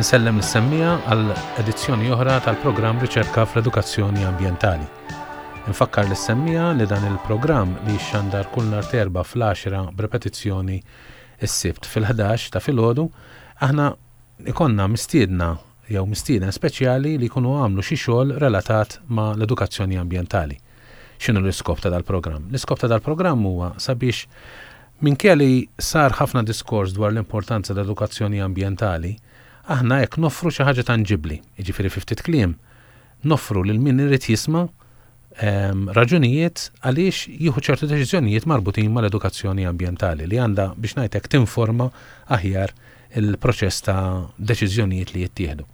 Insellem lis-semmiegħa għal edizzjoni oħra tal-programm Riċerka fl-Edukazzjoni Ambjentali. Infakkar lis-semmiegħa li dan il-programm li jixxandar kull nhar t'Erbgħa fl-għaxra b'repetizzjoni s-Sibt fil-ħdax ta' filgħodu, aħna ikollna mistiedna jew mistieden speċjali li jkunu għamlu xi xogħol relatat ma' l-edukazzjoni ambjentali. X'inhu l-iskop ta' dal-programm? L-iskop ta' dal-programm huwa sabiex minkejja li sar ħafna diskors dwar l-importanza tal-edukazzjoni ambjentali, aħna hekk noffru xi ħaġa tanġibbli, jiġifieri fi ftit kliem, noffru lil min irid jisma' raġunijiet għaliex jieħu ċertu deċiżjonijiet marbutin mal-edukazzjoni ambjentali li għandha biex ngħid hekk tinforma aħjar il-proċess ta' deċiżjonijiet li jittieħdu.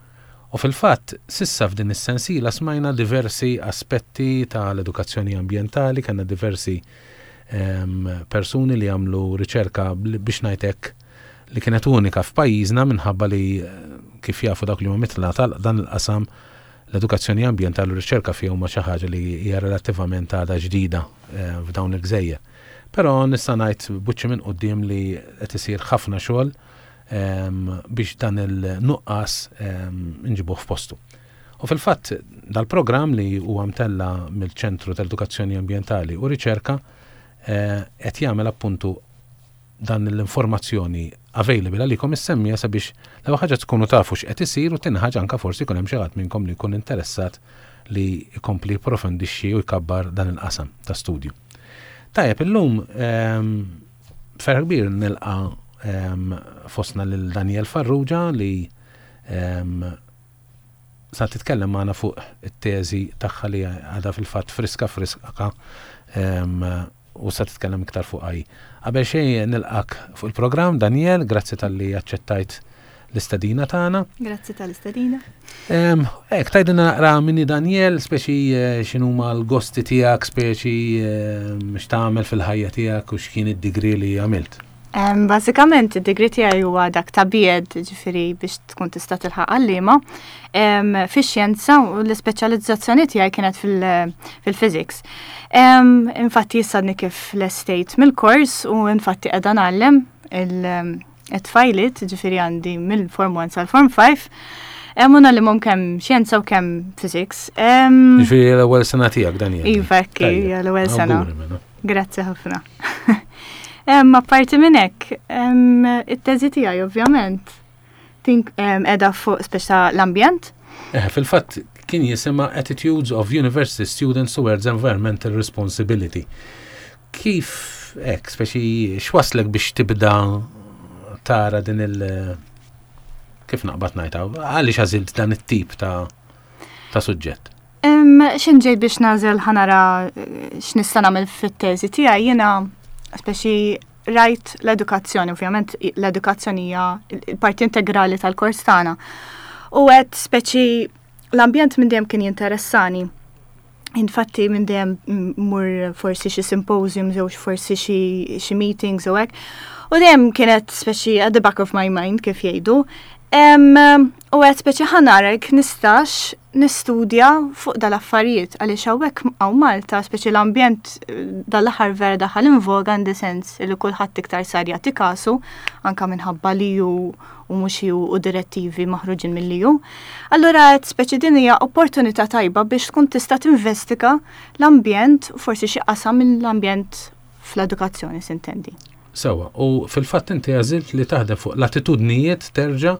U fil-fatt, s'issa f'din is-sensiela smajna diversi aspetti ta' l-edukazzjoni ambjentali, kellna diversi persuni li għamlu riċerka biex ngħid hekk li kienet unika f'pajjiżna minħabba li kif jafu dawk li huma mitla ta' dan il-qasam l-edukazzjoni ambjentali u r-riċerka fiha huma xi ħaġa li hija relattivament għadha ġdida f'dawn il-gżejjer. Però nista' ngħid b'wiċċi minn quddiem li qed isir ħafna xogħol biex dan il-nuqqas nġibuh f'postu. U fil-fatt dal-programm li huwa mtella mill-Ċentru tal-Edukazzjoni Ambjentali u Riċerka qed jagħmel appuntu dan l-informazzjoni available għalikom is-semmija sabiex l-ewwel ħaġa tkunu tafu x'qed isir u tieni ħaġa anke forsi jkun hemm xi ħadd minnkom li jkun interessat li jkompli jipprofondixxi u jkabbar dan il-qasam ta' studju. Tajjeb, illum ferħ kbir nilqa' fostna lil Daniel Farrugia li sa titkellem magħna fuq it-teżi tagħha li għadha fil-fatt friska friska u sa titkellem iktar fuqha hi. Qabel xejn nilqak fuq il-programm, Daniel, grazzi talli aċċettajt l-istedina tagħna. Grazzi tal-istedina. Ek, tajdina naqra minni Daniel, speċi eh, x'inhuma l-gosti tiegħek, speċi x'tagħmel fil-ħajja tiegħek u x'kien id-digri li għamilt. Bażikament id-degree tiegħi huwa dak ta' B.Ed, ġifieri biex tkun tista' tilħaq għalliema. Fix-xjenza u l-ispeċjalizzazzjoni tiegħi kienet fil-physics. Infatti issa għadni kif lestejt mill-kors u infatti qiegħda ngħallem it-tfajliet, ġifieri għandi mill-Form 1 sal-Form 5. U ngħallimhom kemm xjenza u kemm physics. Ġifieri l-ewwel sena tiegħek Daniel. Iva, l-ewwel sena. Mela. Grazzi ħafna. Apparti minn hekk, it-teżi tiegħi ovvjament qiegħda fuq speċa l-ambjent. Eh, fil-fatt kien jisimha Attitudes of University Students Towards Environmental Responsibility. Kif hekk, speċi x'waslek biex tibda tara din il- kif naqbad ngħidha, għaliex għażilt dan it-tip ta' ta' suġġett? X'in ġejt biex nagħżel ħanara eh, x'nista' nagħmel fit-teżi tiegħi jiena speċi rajt l-edukazzjoni, ovvjament l-edukazzjoni hija il-parti integrali tal-kors tagħna. U għedt speċi l-ambjent minn dejjem kien jinteressani. Infatti minn dejjem mur forsi xi symposiums jew forsi xi meetings u hekk. U dejjem kienet speċi at the back of my mind kif jgħidu. U għedt speċi ħanara jekk nistax nistudja fuq dal-affarijiet għaliex hawnhekk hawn Malta speċi l-ambjent eh, dal-aħħar vera daħal in voga in the sense li kulħadd iktar sar jagħti kasu anka minħabba li ju u mhux ju u direttivi maħruġin mill-EU. Allura qed speċi din hija opportunità tajba biex tkun tista' tinvestiga l-ambjent, forsi xi qasam mill-ambjent fl-edukazzjoni sintendi. Sewwa, u fil-fatt inti għażilt li taħdem fuq l-attitudnijiet terġa'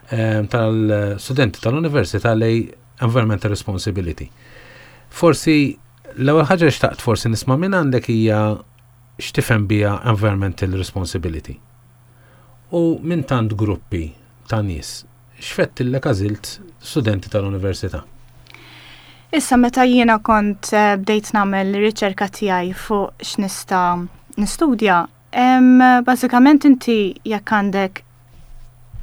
ehm, tal-studenti tal-università lej environmental responsibility. Forsi l-ewwel ħaġa li xtaqt forsi nisma' minn għandek hija x'tifhem biha environmental responsibility. U minn tant gruppi ta' nies, x'fettillek għażilt studenti tal-università? Issa meta jiena kont eh, bdejt nagħmel riċerka tiegħi fuq x'nista' nistudja, bażikament inti jekk għandek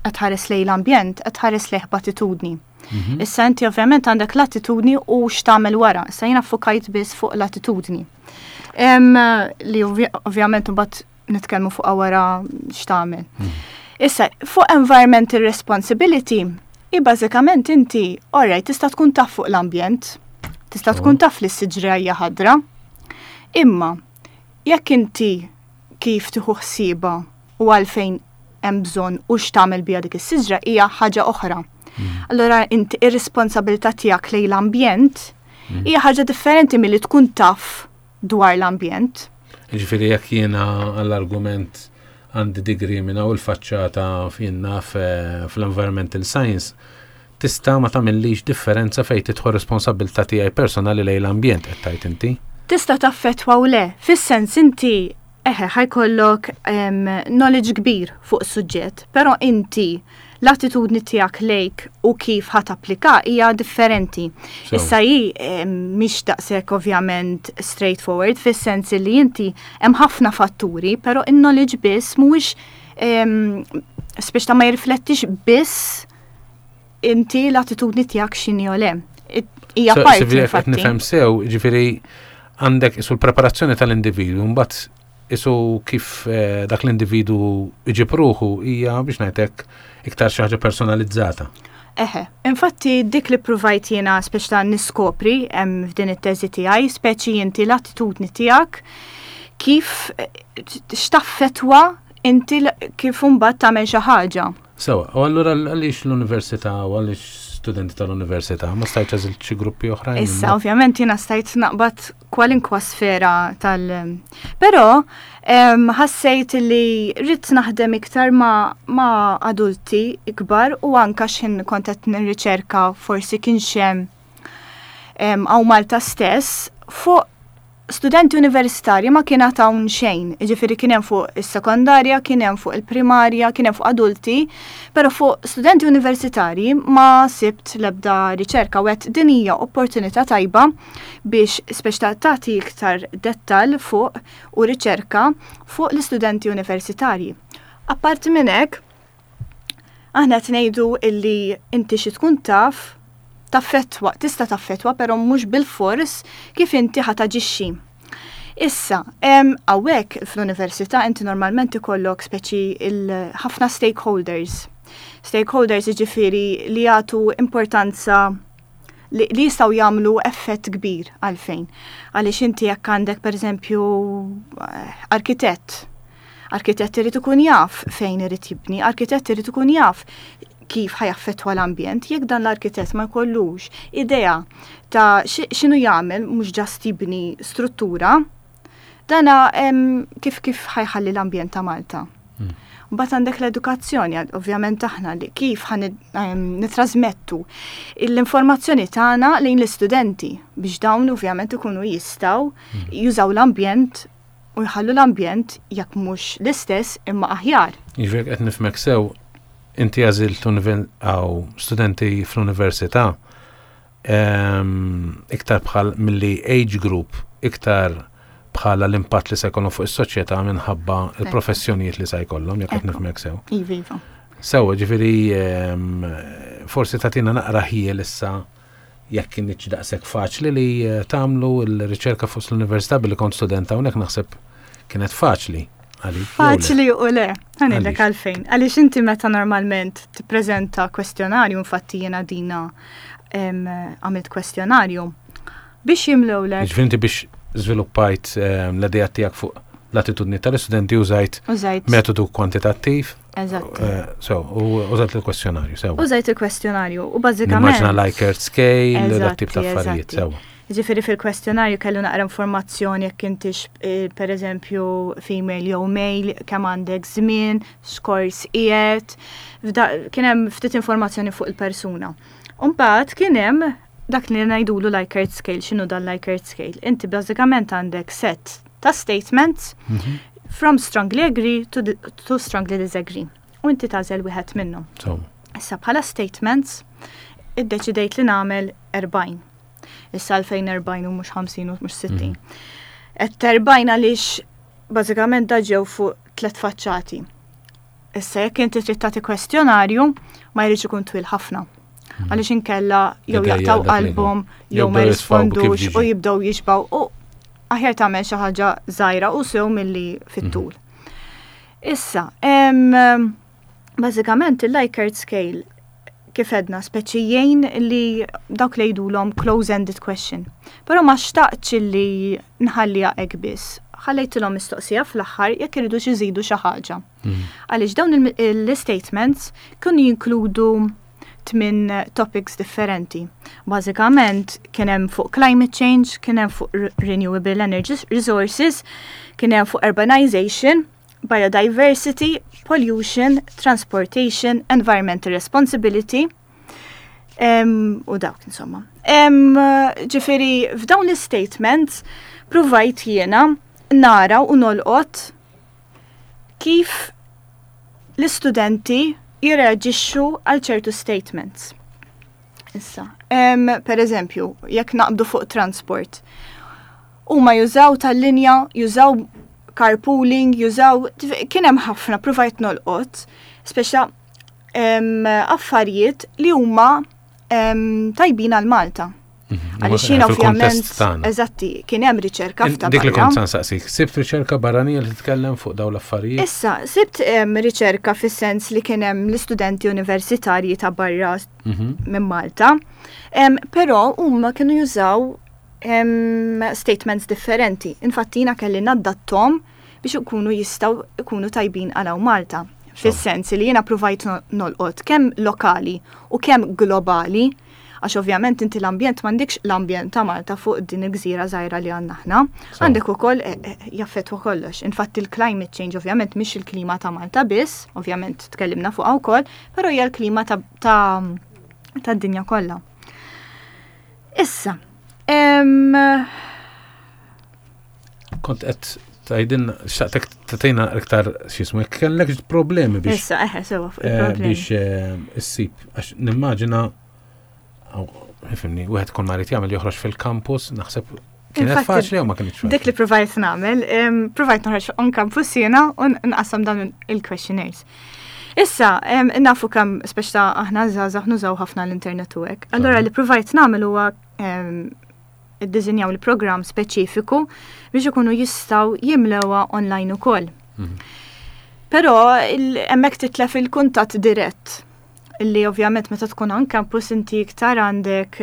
qed tħares lejn l-ambjent, qed tħares lejh b'attitudni. Mhm. Issa inti ovvjament għandek l-attitudni u x'tagħmel wara. Issa jiena fukajt biss fuq l-attitudni. Li ovvjament imbagħad nitkellmu fuq wara x'tagħmel. Mhm. Issa, fuq environmental responsibility, i bażikament inti, alright, tista' tkun taf fuq l-ambjent, tista' tkun taf li s-siġra hija ħadra, imma jekk inti kif tieħu ħsieba u għalfejn hemm bżonn u x'tagħmel biha dik is-siġra hija ħaġa oħra. Allura inti ir-responsabilità tiegħek lejn l-ambjent hija ħaġa differenti milli tkun taf dwar l-ambjent. Ġifieri jekk jiena għall-argument għandi degree minn hawn il-faċċata jien naf eh, fl-environmental science, tista' ma tagħmillix differenza fejn tidħol responsabilità tiegħi personali lejn l-ambjent qed tgħid inti? Tista' taffettwa u le, fis-sens inti eħe ħa jkollok knowledge kbir fuq suġġett, però inti l-attitudni tiegħek lejk u kif ħa tapplika hija differenti. Issa hi mhix daqshekk ovvjament straightforward fis-sens li inti hemm ħafna fatturi, però in-knowledge biss mhuwiex speċi ta' ma jirriflettix biss inti l-attitudni tiegħek x'inhi o le. Hija parti. Qed nifhem sew, ġifieri għandek isu l-preparazzjoni tal-individwu mbagħad isu kif eh, dak l-individu iġib ruħu hija biex ngħidlek iktar xi ħaġa personalizzata. Eħe, infatti dik li provajt jiena speċi ta' niskopri f'din it-teżi tiegħi, speċi inti l-attitudni tiegħek kif eh, x'taffetwa inti kif imbagħad tagħmel xi ħaġa. Sewa, u allura għaliex l-università u għaliex studenti tal-università, ma stajtx għażilt xi gruppi oħrajn? Issa, ovvjament jiena stajt naqbad kwalinkwa sfera tal- Però ħassejt li rrid naħdem iktar ma, ma adulti ikbar u anka x'ħin kont qed nirriċerka forsi kien hemm hawn Malta stess fuq studenti universitarji ma kien hawn xejn, jiġifieri kien hemm fuq is-sekondarja, kien hemm fuq il-primarja, kien hemm fuq adulti, però fuq studenti universitarji ma sibt l-ebda riċerka u għedt din hija opportunità tajba biex speċi ta' tagħti iktar dettal fuq u riċerka fuq l-istudenti universitarji. Apparti minn hekk, aħna qed ngħidu illi inti xi tkun taf taffettwa, tista' taffettwa, però mhux bil-fors kif inti ħa taġixxi. Issa, hawnhekk fl-università inti normalment ikollok speċi ħafna stakeholders. Stakeholders jiġifieri li jagħtu importanza li, li jistgħu jagħmlu effett kbir għalfejn. Għaliex inti jekk għandek pereżempju eh, arkitett, arkitett irid ikun jaf fejn irid jibni, arkitett irid ikun jaf kif ħa jaffettwa l-ambjent, jekk dan l-arkitett ma jkollux idea ta' x'inhu jagħmel mhux just jibni struttura, dana kif kif ħa jħalli l-ambjent ta' Malta. Mbagħad għandek l-edukazzjoni, ovvjament aħna li kif ħa nitrasmettu l-informazzjoni tagħna lejn l-istudenti biex dawn ovvjament ikunu jistgħu jużaw l-ambjent u jħallu l-ambjent jekk mhux l-istess imma aħjar. Jiġifieri qed nifhmek sew, inti għażilt għaw studenti fl-università iktar bħal milli age group, iktar bħala l-impatt li se jkollhom fuq is-soċjetà minħabba l-professjonijiet li se jkollhom, jekk qed nifhmek sew. Iva, iva. Sew, ġifieri forsi tagħtina naqra ħjiel issa jekk kinitx daqshekk faċli li eh, tagħmlu l-riċerka fuq l-università billi kont student hawnhekk naħseb kienet faċli. Faċli u le, ħa ngħidlek għalfejn. Għaliex inti meta normalment tippreżenta kwestjonarju, infatti jiena dina għamilt kwestjonarju, biex jimlewlek. Ġifieri inti biex żviluppajt l-idea tiegħek fuq l-attitudni tal-istudenti użajt metodu kwantitattiv. Eżatt. Eh, so, u użajt il-kwestjonarju, sewa. Użajt il-kwestjonarju u bażikament. Immaġina Likert scale, dak tip ta' affarijiet, sewa. Ġifieri fil-kwestjonarju kellu naqra informazzjoni jekk intix eh, per eżempju female jew male, kemm għandek żmien, x'kors qiegħed, kien hemm ftit informazzjoni fuq il-persuna. Mbagħad kien hemm dak li ngħidulu Likert scale, x'inhu dan Likert scale? Inti bażikament għandek set ta' statements mhm. from strongly agree to, to strongly disagree. U inti tagħżel wieħed minnhom. Issa bħala statements iddeċidejt li nagħmel 40. Issa 2040 u mhux 50 u mhux 60. Qed 40 għaliex bażikament da ġew fuq tliet faċċati. Issa jekk inti trid tagħti kwestjonarju ma jridx ikun twil ħafna. Hmm. Għaliex inkella jew jaqtaw qalbhom jew ma jirrispondux u jibdew jixbaw u aħjar tagħmel xi ħaġa żgħira u sew milli fit-tul. Hmm. Issa, bażikament il-Likert scale kif edna speċi jgħin li dawk li jgħidulhom close-ended question. Però ma xtaqtx li nħalliha hekk biss. ħallejtilhom mistoqsija fl-aħħar jekk iridux iżidu xi ħaġa. Għaliex dawn l-statements kienu jinkludu tmin topics differenti. Bażikament kien hemm fuq climate change, kien hemm fuq renewable energy resources, kien hemm fuq urbanization, biodiversity, pollution, transportation, environmental responsibility, u dawk insomma. Ġifieri f'dawn l-statements provajt jiena nara u nolqot kif l-istudenti jirreaġixxu għal ċertu statements. Issa, per eżempju, jekk naqbdu fuq transport, huma jużaw tal-linja, jużaw carpooling, jużaw, kien hemm ħafna provajt nolqot, speċa affarijiet li huma tajbin għal Malta. Għaliex jiena ovvjament, eżatti, kien hemm riċerka f'ta' Dik li kont sansaqsik, sibt riċerka barranija li titkellem fuq dawn l-affarijiet? Issa, sibt riċerka fis-sens li kien hemm l-istudenti universitarji ta' barra minn Malta, però huma kienu jużaw statements differenti. Infatti jiena kelli nadattom biex ikunu jistgħu ikunu tajbin għal hawn Malta. Fis-sens li jiena provajt nolqot kemm lokali u kemm globali, għax ovvjament inti l-ambjent m'għandekx l-ambjent ta' Malta fuq din il-gżira żgħira li għandna aħna, għandek ukoll eh, eh, jaffettwa kollox. Infatti il-climate change ovvjament mhix il-klima ta' Malta biss, ovvjament tkellimna fuqha wkoll, però hija l-klima ta' tad-dinja kollha. Issa, kont qed tgħidilna xtaqtek tagħtina iktar x'ismu jekk kellek problemi biex. Issa eħe sewa fuq eh, il-problemi. Biex eh, issib għax nimmaġina ifimni, wieħed kull ma jrid jagħmel joħroġ fil-kampus, naħseb kienet faċli jew ma kienx faċli. Dik li provajt nagħmel, provajt noħroġ on campus jiena u nqassam dawn il-questionnaires. Issa, nafu kemm speċta aħna żgħażagħ nużaw ħafna l-internet u hekk. Allura li provajt nagħmel huwa iddiżinjaw il-programm speċifiku biex ikunu jistgħu jimlewha online ukoll. Però hemmhekk titlef il-kuntatt dirett illi ovvjament meta tkun on campus inti iktar għandek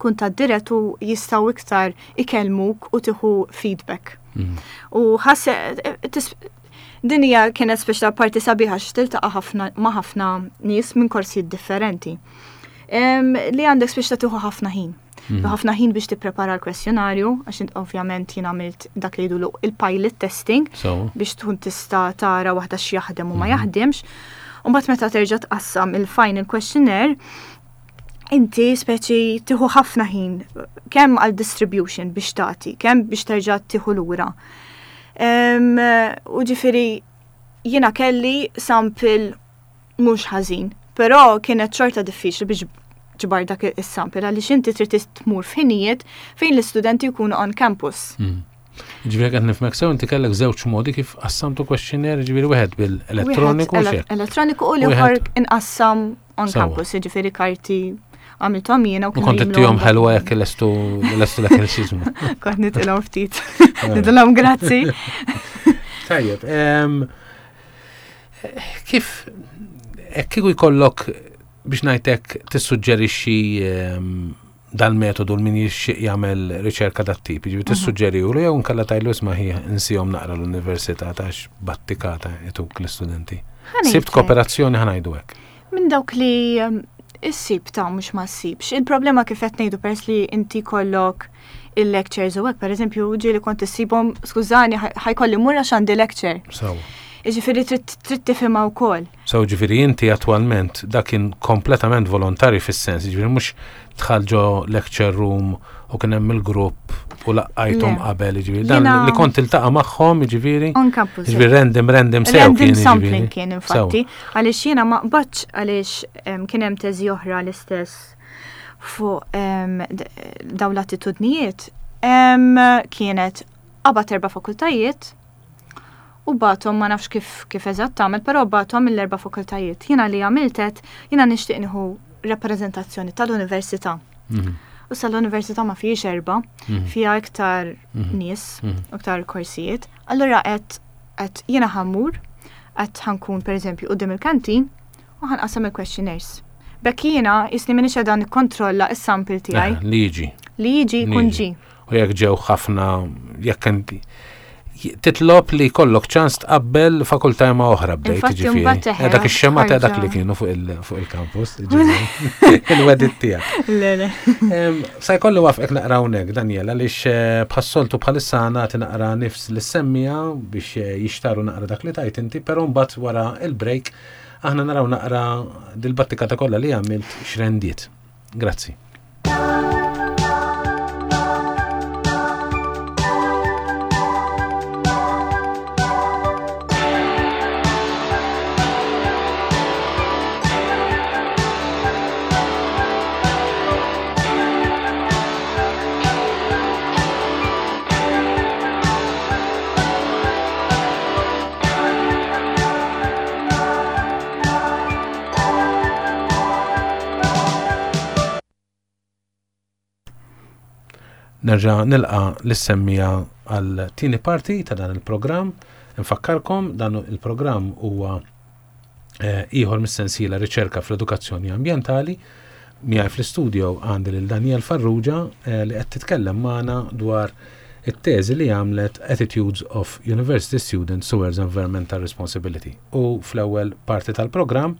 kuntatt dirett u jistgħu iktar ikellmuk u tieħu feedback. U ħasse din hija kienet speċa parti sabiħa x'tiltaqa' ħafna ma' ħafna nies minn korsijiet differenti. Li għandek speċa tieħu ħafna ħin. Ħafna ħin biex tipprepara l-kwestjonarju, għax int ovvjament jien għamilt dak li jgħidulu il-pilot testing biex tkun tista' tara waħda x'jaħdem u ma jaħdimx. U mbagħad meta terġa' tqassam il-final questionnaire, inti speċi tieħu ħafna ħin kemm għal distribution biex tagħti, kemm biex terġa' tieħu lura. U ġifieri jiena kelli sample mhux ħażin, però kienet xorta diffiċli biex ġbar dak is-sample għaliex inti trid tmur f'ħinijiet fejn l-istudenti jkunu on campus. Ġifieri qed nifhmek sew inti kellek żewġ modi kif qassamtu questionnaire, ġifieri wieħed bil-elettroniku u xejn. Elettroniku u l-ieħor inqassam on campus, ġifieri karti għamilthom jiena u kont ittihom ħelwa jekk lestu lestu dak il-xizmu. Kont nitilhom ftit. Nitilhom grazzi. Tajjeb, kif kieku jkollok biex ngħidlek tissuġġerixxi dal-metodu l-min jixxieq jagħmel riċerka dat-tip, jiġifieri tissuġġerilu jew nkella tgħidlu isma' ħi insihom naqra l-università tax battikata ituk l-istudenti. Sibt kooperazzjoni ħa ngħidu hekk. Minn dawk li issib ta' mhux ma ssibx. Il-problema kif qed ngħidu peress li inti kollok il-lectures u hekk, pereżempju, ġieli kont issibhom, skużani, ħajkolli mmur għax għandi lecture. Sewa. Jiġifieri trid tifhimha wkoll. So ġifieri inti attwalment dak kien kompletament volontarju fis-sens, ġifieri mhux dħal ġo lecture room u kien hemm il-grupp u laqqajthom qabel, ġifieri dan li kont tiltaqa' magħhom, ġifieri. On campus. Ġifieri random, random sew Random sampling kien infatti, għaliex jiena ma qbadx għaliex kien hemm teżi oħra l-istess fuq dawn l-attitudnijiet kienet qabad erba' fakultajiet u bagħthom ma nafx kif kif eżatt tagħmel, però bagħthom mill-erba' fakultajiet. Jiena li għamilt għedt, jiena nixtieq nieħu rappreżentazzjoni tal-università. Mhm. U sa l-università ma fihiex erba', mhm. fiha iktar mhm. nies, iktar korsijiet. Allura qed qed jiena ħammur, qed ħankun pereżempju quddiem il-kantin u ħanqasam il-questionnaires. Bekk jiena jisni minix qiegħda nikkontrolla s-sample tiegħi. Eh, li jiġi. Li jiġi jkun ġi. U jekk ġew ħafna, jekk titlob li jkollok ċans tqabbel fakultà ma' oħra bdejt ġifieri. Eh, dak ix-xema ta' dak li kienu fuq il-campus, il-wedit tiegħek. Le, le. Sa jkolli wafqek naqra hawnhekk, Daniela, għaliex eh, bħas-soltu bħalissa nagħti naqra nifs li semmija biex eh, jixtaru naqra dak li tajt inti, però mbagħad wara il-break aħna naraw naqra dil-battika ta' kollha li għamilt x'rendiet. Grazzi. Nerġa' nilqa' lis-semmiegħa għal tieni parti ta' dan il-programm. Infakkarkom dan il-programm huwa eh, ieħor mis-sensiela riċerka fl-edukazzjoni ambjentali. Miegħi fl-istudio għandi lil Daniel Farrugia eh, li qed titkellem magħna dwar it-teżi li għamlet Attitudes of University Students Towards Environmental Responsibility. U fl-ewwel parti tal-programm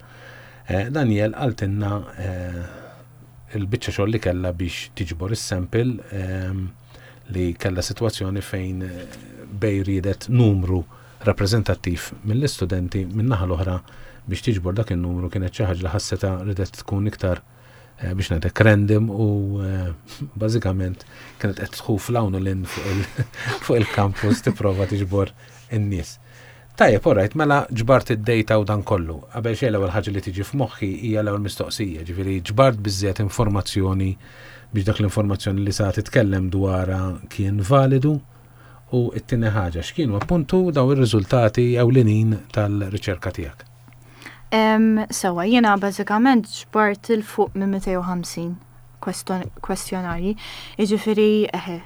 eh, Daniel qaltilna eh, il-biċċa xogħol li kellha biex tiġbor is-sample ehm, li kellha sitwazzjoni fejn eh, bej riedet numru rappreżentattiv mill-istudenti min-naħa l-oħra biex tiġbor dak in-numru kienet xi ħaġa li ħasseta ridet tkun iktar eh, biex ngħidlek random u eh, bażikament kienet qed tħuf l-hawn u l fuq il-campus tipprova tiġbor in-nies. Tajjeb, alright, mela ġbart id-data u dan kollu. Qabel xejn l-ewwel ħaġa li tiġi f'moħħi hija l-ewwel mistoqsija, ġifieri ġbart biżżejjed informazzjoni biex dak l-informazzjoni li sa titkellem dwarha kien validu? U t-tieni ħaġa, x'kienu appuntu daw ir-riżultati ewlenin tal-riċerka tiegħek? Sewa, jiena bażikament ġbart 'il fuq minn 250 kwestjonarji. Jiġifieri, eħe,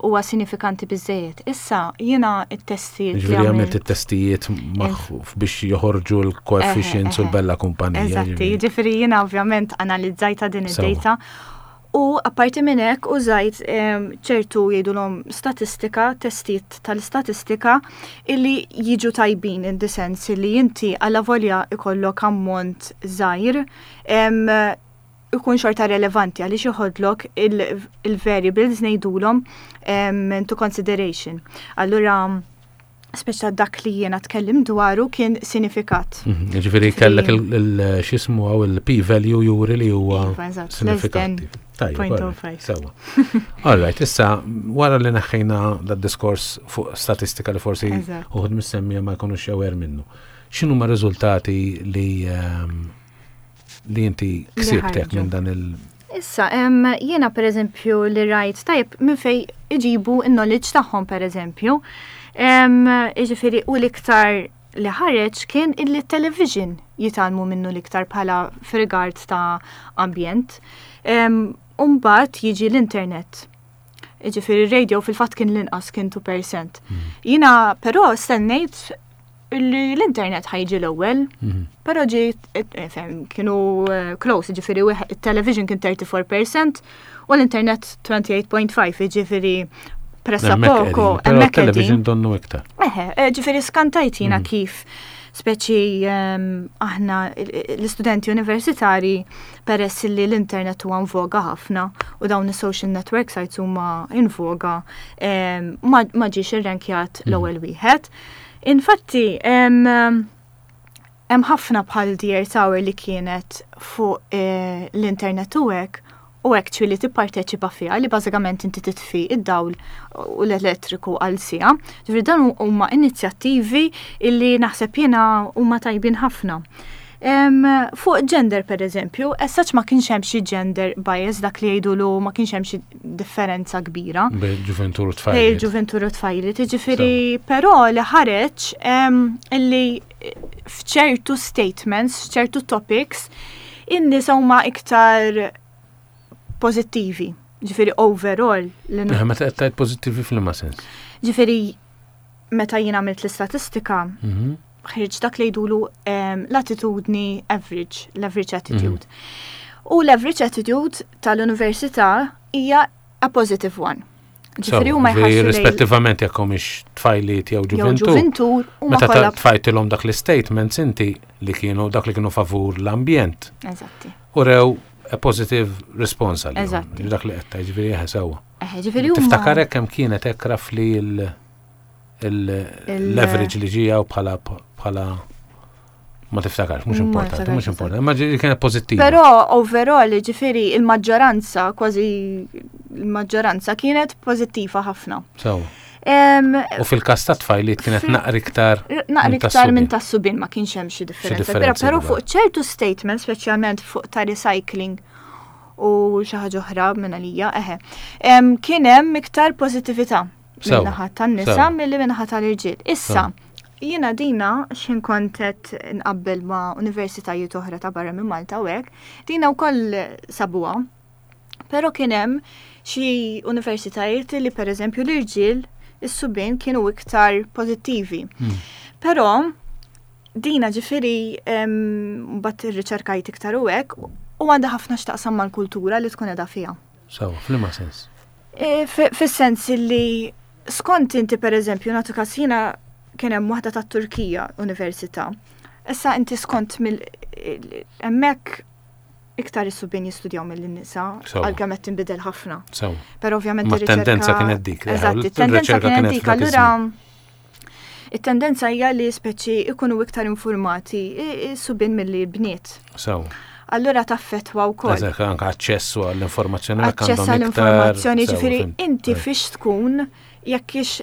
huwa sinifikanti biżejjed. Issa jiena t-testijiet. Jiġifieri għamilt it-testijiet biex joħorġu l-coefficients u l-bella kumpanija. Eżatti, jiġifieri jiena ovvjament analizzajta din id-data. U apparti minn hekk użajt ċertu jgħidulhom statistika, testijiet tal-istatistika illi jiġu tajbin in the sense illi inti allavolja ikollok ammont żgħir ikun xorta relevanti għaliex joħodlok il-variables ngħidulhom into consideration. Allura speċa dak li jiena tkellim dwaru kien sinifikat. Mhm, ġifieri kellek il-xismu għaw il-p-value juri li huwa iva, sinifikanti. Tajjeb, sewa. All right, issa wara li neħħejna da diskors fuq statistika li forsi uħud mis-semmija ma jkunux aware minnu. X'inhuma riżultati li ehm, li inti ksibtek minn dan il- Issa, jiena per eżempju li rajt tajb minn fej iġibu il-knowledge tagħhom per eżempju. Iġifieri u l-iktar li ħareġ kien illi television jitgħallmu minnu l-iktar bħala f'rigard ta' ambjent. Umbagħad jiġi l-internet. Ġifieri radio fil-fatt kien l-inqas kien 2%. Hmm. Jiena però stennejt li l-internet ħa jiġi l-ewwel, mhm. però ġi eh, eh, kienu eh, close, ġifieri il-television kien 34% u l-internet 28.5, ġifieri pressa poco. Hemmhekk television donnu iktar. Eħe, ġifieri skantajt jiena mhm. kif speċi ehm, aħna l-istudenti universitari peress li l-internet huwa voga ħafna u dawn is-social network sites huma in voga ehm, ma ġiex irrankjat mhm. l-ewwel wieħed. Infatti, hemm ħafna bħal Dear Tower li kienet fuq eh, l-internet u hekk u actually tipparteċipa fiha li bażikament inti titfi id-dawl u l-elettriku għal siegħa. Ġifieri dan huma inizjattivi illi naħseb jiena huma tajbin ħafna. Fuq gender per eżempju, as such ma kienx hemm xi gender bias dak li jgħidulu ma kienx hemm xi differenza kbira. Bejn ġuventur u tfajliet. Bejn ġuventur u tfajliet, jiġifieri però li ħareġ illi f'ċertu statements, f'ċertu topics, in-nisa huma iktar pożittivi. Ġifieri overall. Meta qed tgħid pożittivi f'liema sens? Ġifieri meta jien għamilt l-istatistika, mhm. ħriġ dak li jgħidulu ehm, l-attitudni average, l-average attitude. Mhm. U l-average attitude tal-università hija a positive one. Ġifieri huma jħarsu rispettivament jekk humiex tfajliet jew ġuventur. Ġuventur huma Meta tfajtilhom dak l-statements inti li kienu dak li kienu favur l-ambjent. Eżatti. U rew a positive response għal. Eżatti. Dak li qed tgħid ġifieri eħe sewwa. Eħe ġifieri huma. Tiftakar hekk kemm kienet hekk rafli l-leverage li ġija u bħala bħala Ma tiftakarx, mhux importanti, mhux importanti, ma kienet pożittiva. Però overall, ġifieri il-maġġoranza, kważi il-maġġoranza kienet pożittiva ħafna. So. U fil-każ ta' tfajliet kienet naqri iktar. Naqri iktar minn tas-subien ma kienx hemm xi differenza. Però fuq ċertu statement, speċjalment fuq ta' recycling u xi ħaġa oħra minn għalija, eħe. Kien hemm iktar pożittività min-naħa tan-nisa milli min-naħa tal-irġiel. Issa, jiena dina x'ħin kont qed nqabbel ma' universitajiet oħra ta' barra minn Malta u hekk, dina wkoll sabuha. Però kien hemm xi universitajiet li pereżempju l-irġiel is-subien kienu iktar pożittivi. Hmm. Però dina ġifieri mbagħad irriċerkajt iktar u hekk u għandha ħafna x'taqsam mal-kultura li tkun qiegħda fiha. Sewa, f'liema sens? E, fis-sens li skont inti per eżempju nagħtu każ jiena kien hemm waħda tat-Turkija università. Issa inti skont mill hemmhekk iktar is-subien jistudjaw mill-nisa għalkemm qed tinbidel ħafna. Però ovvjament ir-tendenza kienet dik. Eżatt, it-tendenza kienet dik. Allura it-tendenza hija li speċi ikunu iktar informati is-subien milli l-bniet. Sew. Allura taffetwa wkoll. Eżatt, anke aċċessu għall-informazzjoni. Aċċess għall-informazzjoni, ġifieri inti fiex tkun jekk ix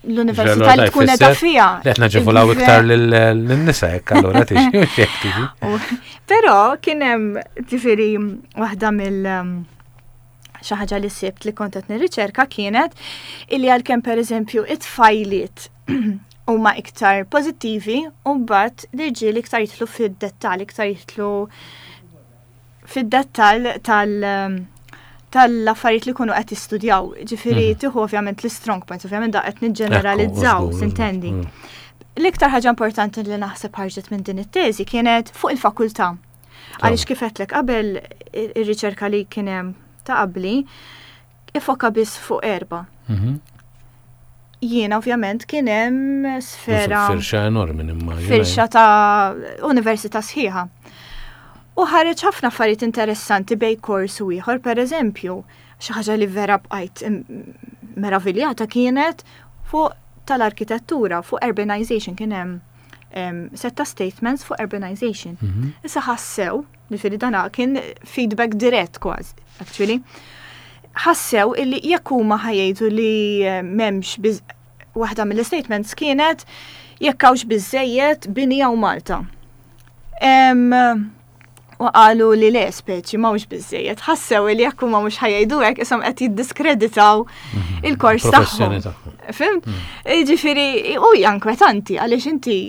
l-università li tkun qiegħda fiha. Li qed naġevolaw iktar lin-nisa hekk allura tiġi. Però kien hemm ġifieri waħda mill- xi ħaġa li sibt li kont qed nirriċerka kienet illi għalkemm pereżempju it-tfajliet huma iktar pożittivi u mbagħad l-irġiel iktar jidħlu fid-dettall, iktar jidħlu fid-dettall tal- tal-affarijiet li kunu qed jistudjaw. Ġifieri mhm. tieħu ovvjament l-strong points, ovvjament da qed niġġeneralizzaw, sintendi. Mm. L-iktar ħaġa importanti li naħseb ħarġet minn din it-teżi kienet fuq il-fakultà. Għaliex kif għedtlek qabel ir-riċerka li kien hemm ta' qabli ifoka biss fuq erba. Mhm. Jiena ovvjament kien hemm sfera. Firxa enormi nimmaġina. Firxa ta' università sħiħa. U ħareġ ħafna affarijiet interessanti bej kors u ieħor, per eżempju, xi ħaġa li vera bqajt meraviljata kienet fuq tal-arkitettura, fuq urbanization kien hemm setta statements fuq urbanization. Mhm. Issa ħassew, ġifieri dana kien feedback dirett kważi, actually. Ħassew illi jekk huma ħajjgħidu li eh, m'hemmx waħda mill-statements kienet jekk hawnx biżejjed bini hawn Malta. U qalu li le speċi m'hawnx biżejjed. Ħassew li jekk huma mhux ħajjgħidu hekk ishom qed jiddiskreditaw mhm. il-kors tagħhom. Fimt? Mhm. Jiġifieri u hija inkwetanti għaliex inti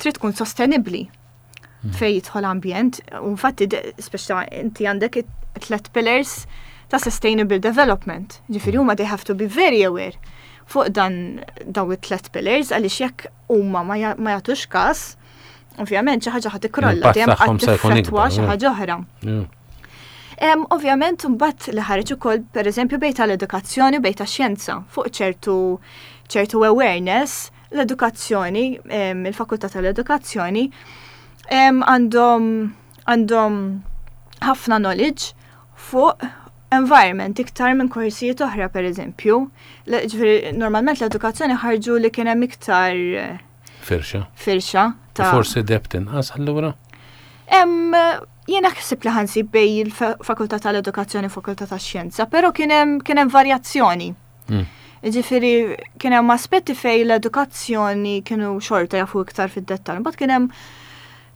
trid tkun sostenibbli mhm. fej jidħol ambjent, u infatti speċa inti għandek tlet pillars ta' sustainable development. Ġifieri huma they have to be very aware fuq dan daw it-tlet pillars għaliex jekk huma ma jagħtux każ Ovvjament xi ħaġa ħad tikrolla, dejjem qatt tiffettwa xi ħaġa oħra. Ovvjament mbagħad li ħareġ ukoll pereżempju bejn tal-edukazzjoni u bejn tax-xjenza fuq ċertu ċertu awareness l-edukazzjoni, il-fakultà tal-edukazzjoni għandhom għandhom ħafna knowledge fuq environment iktar minn korsijiet oħra pereżempju. Ġifieri normalment l-edukazzjoni ħarġu li kien hemm iktar Firxa. Firxa ta' Forsi debt inqas allura? Jiena ħsib li ħansib bej il-Fakultà tal-Edukazzjoni u Fakultà tax-Xjenza, però kien hemm varjazzjoni. Hmm. Ġifieri kien hemm aspetti fej l-edukazzjoni kienu xorta jafu iktar fid-dettall, mbagħad kien hemm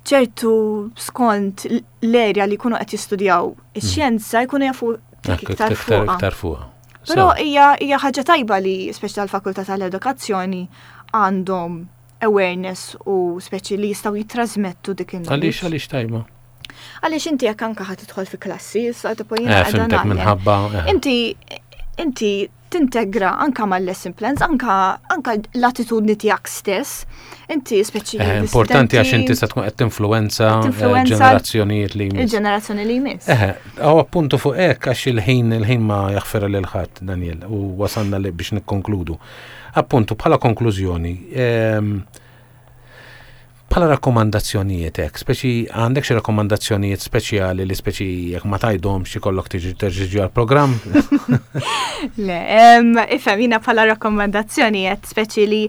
ċertu skont l-erja li jkunu qed jistudjaw ix-xjenza jkunu jafu iktar fuqha. Fuq. Però hija hija ħaġa tajba li speċi tal-Fakultà tal-Edukazzjoni għandhom awareness u speċi li jistgħu jittrażmettu dik il Għaliex għaliex tajba? Għaliex inti jekk anke ħad tidħol fi klassi, issa tipo jiena eh, qiegħda minħabba. Eh. Inti inti Tintegra anka mal-lesson plans, anka, anka l-attitudni tiegħek stess. Inti speċi. Eh, importanti għax inti se tkun qed tinfluwenza eh, ġenerazzjonijiet li jmiss. Il-ġenerazzjoni li jmiss. Eh, għaw appuntu fuq hekk għax il-ħin il-ħin ma jaħfira lil ħadd Daniel u wasalna li biex nikkonkludu. Appuntu bħala konklużjoni, ehm, Bħala rakkomandazzjonijiet hekk, speċi għandek xi rakkomandazzjonijiet speċjali li speċi jekk ma tgħidhomx ikollok tiġi terġiġi għall-programm? Le, ifhem jiena bħala rakkomandazzjonijiet speċi li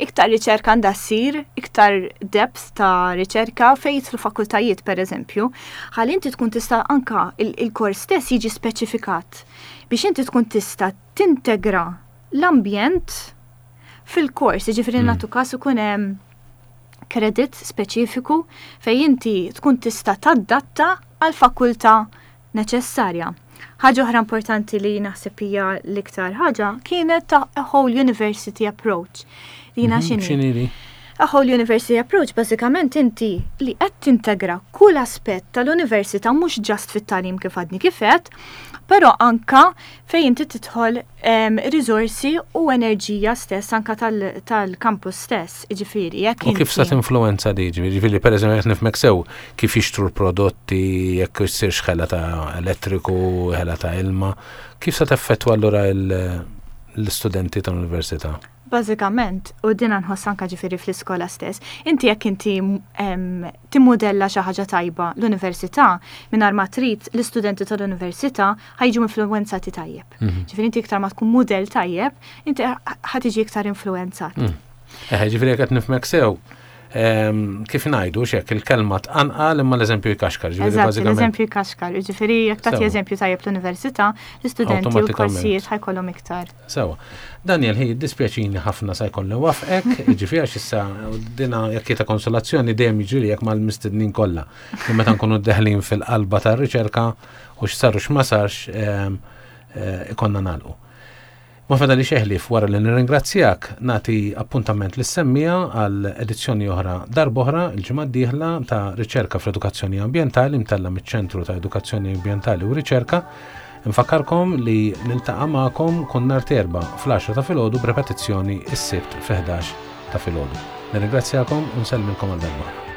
iktar riċerka għandha ssir, iktar depth ta' riċerka fejn jidħlu fakultajiet pereżempju, ħalli inti tkun tista' anka il-kors stess jiġi speċifikat biex inti tkun tista' tintegra l-ambjent fil-kors, jiġifieri nagħtu każ ikun hemm kredit speċifiku fejn inti tkun tista' tadatta għall-fakultà neċessarja. Ħaġa oħra importanti li naħseb hija l-iktar ħaġa kienet ta' a whole university approach. Dina mhm, x'inhi? A whole university approach bażikament inti li qed tintegra kull aspett tal-università mhux ġast fit-tagħlim kif għadni kif għedt, però anka fejn inti tidħol riżorsi u enerġija stess anka tal-campus stess, jiġifieri jekk U kif sa tinfluwenza di, jiġifieri pereżempju qed nifhmek sew kif jixtru l-prodotti, jekk issirx ħela ta' elettriku, ħela ta' ilma, kif sa teffettwa allura l-istudenti tal-università? Bażikament, u dina nħoss anka ġifieri fl-iskola stess, inti jekk inti timmudella xi ħaġa tajba l-università, mingħajr ma trid l-istudenti tal-università ħa jiġu influwenzati tajjeb. Mhm. Ġifieri inti iktar ma tkun mudell tajjeb, inti ħa tiġi iktar influwenzat. Mm. Eh, ġifieri jekk qed nifhmek sew, ehm, kif ngħidu xek il-kelma tqanqal imma l-eżempju jkaxkar. Ġifieri l-eżempju jkaxkar, ġifieri jekk tagħti eżempju tajjeb l-università, l-istudenti u l-korsijiet ħajkollhom iktar. Sewa. Daniel, ħi dispjaċini ħafna sa jkolli wafqek, ġifieri għax issa dina jekk ta' konsolazzjoni dejjem jiġri jekk mal-mistednin kollha. Meta nkunu deħlin fil-qalba tar-riċerka u x'sar u x'ma sarx ehm, eh, ikonna nagħlqu. Ma fadali xeħlif wara li nirringrazzjak nagħti appuntament lis semmija għal edizzjoni oħra darb'oħra il-ġimgħa d-dieħla ta' Riċerka fl-Edukazzjoni Ambjentali mtella miċ-Ċentru ta' Edukazzjoni Ambjentali u Riċerka. Nfakkarkom li niltaqa' magħkom kull nhar t'Erbgħa fl-10 ta' filgħodu b'repetizzjoni s-Sibt fi 11 ta' filgħodu. Nirringrazzjakom u nsellmilkom għal darb'oħra.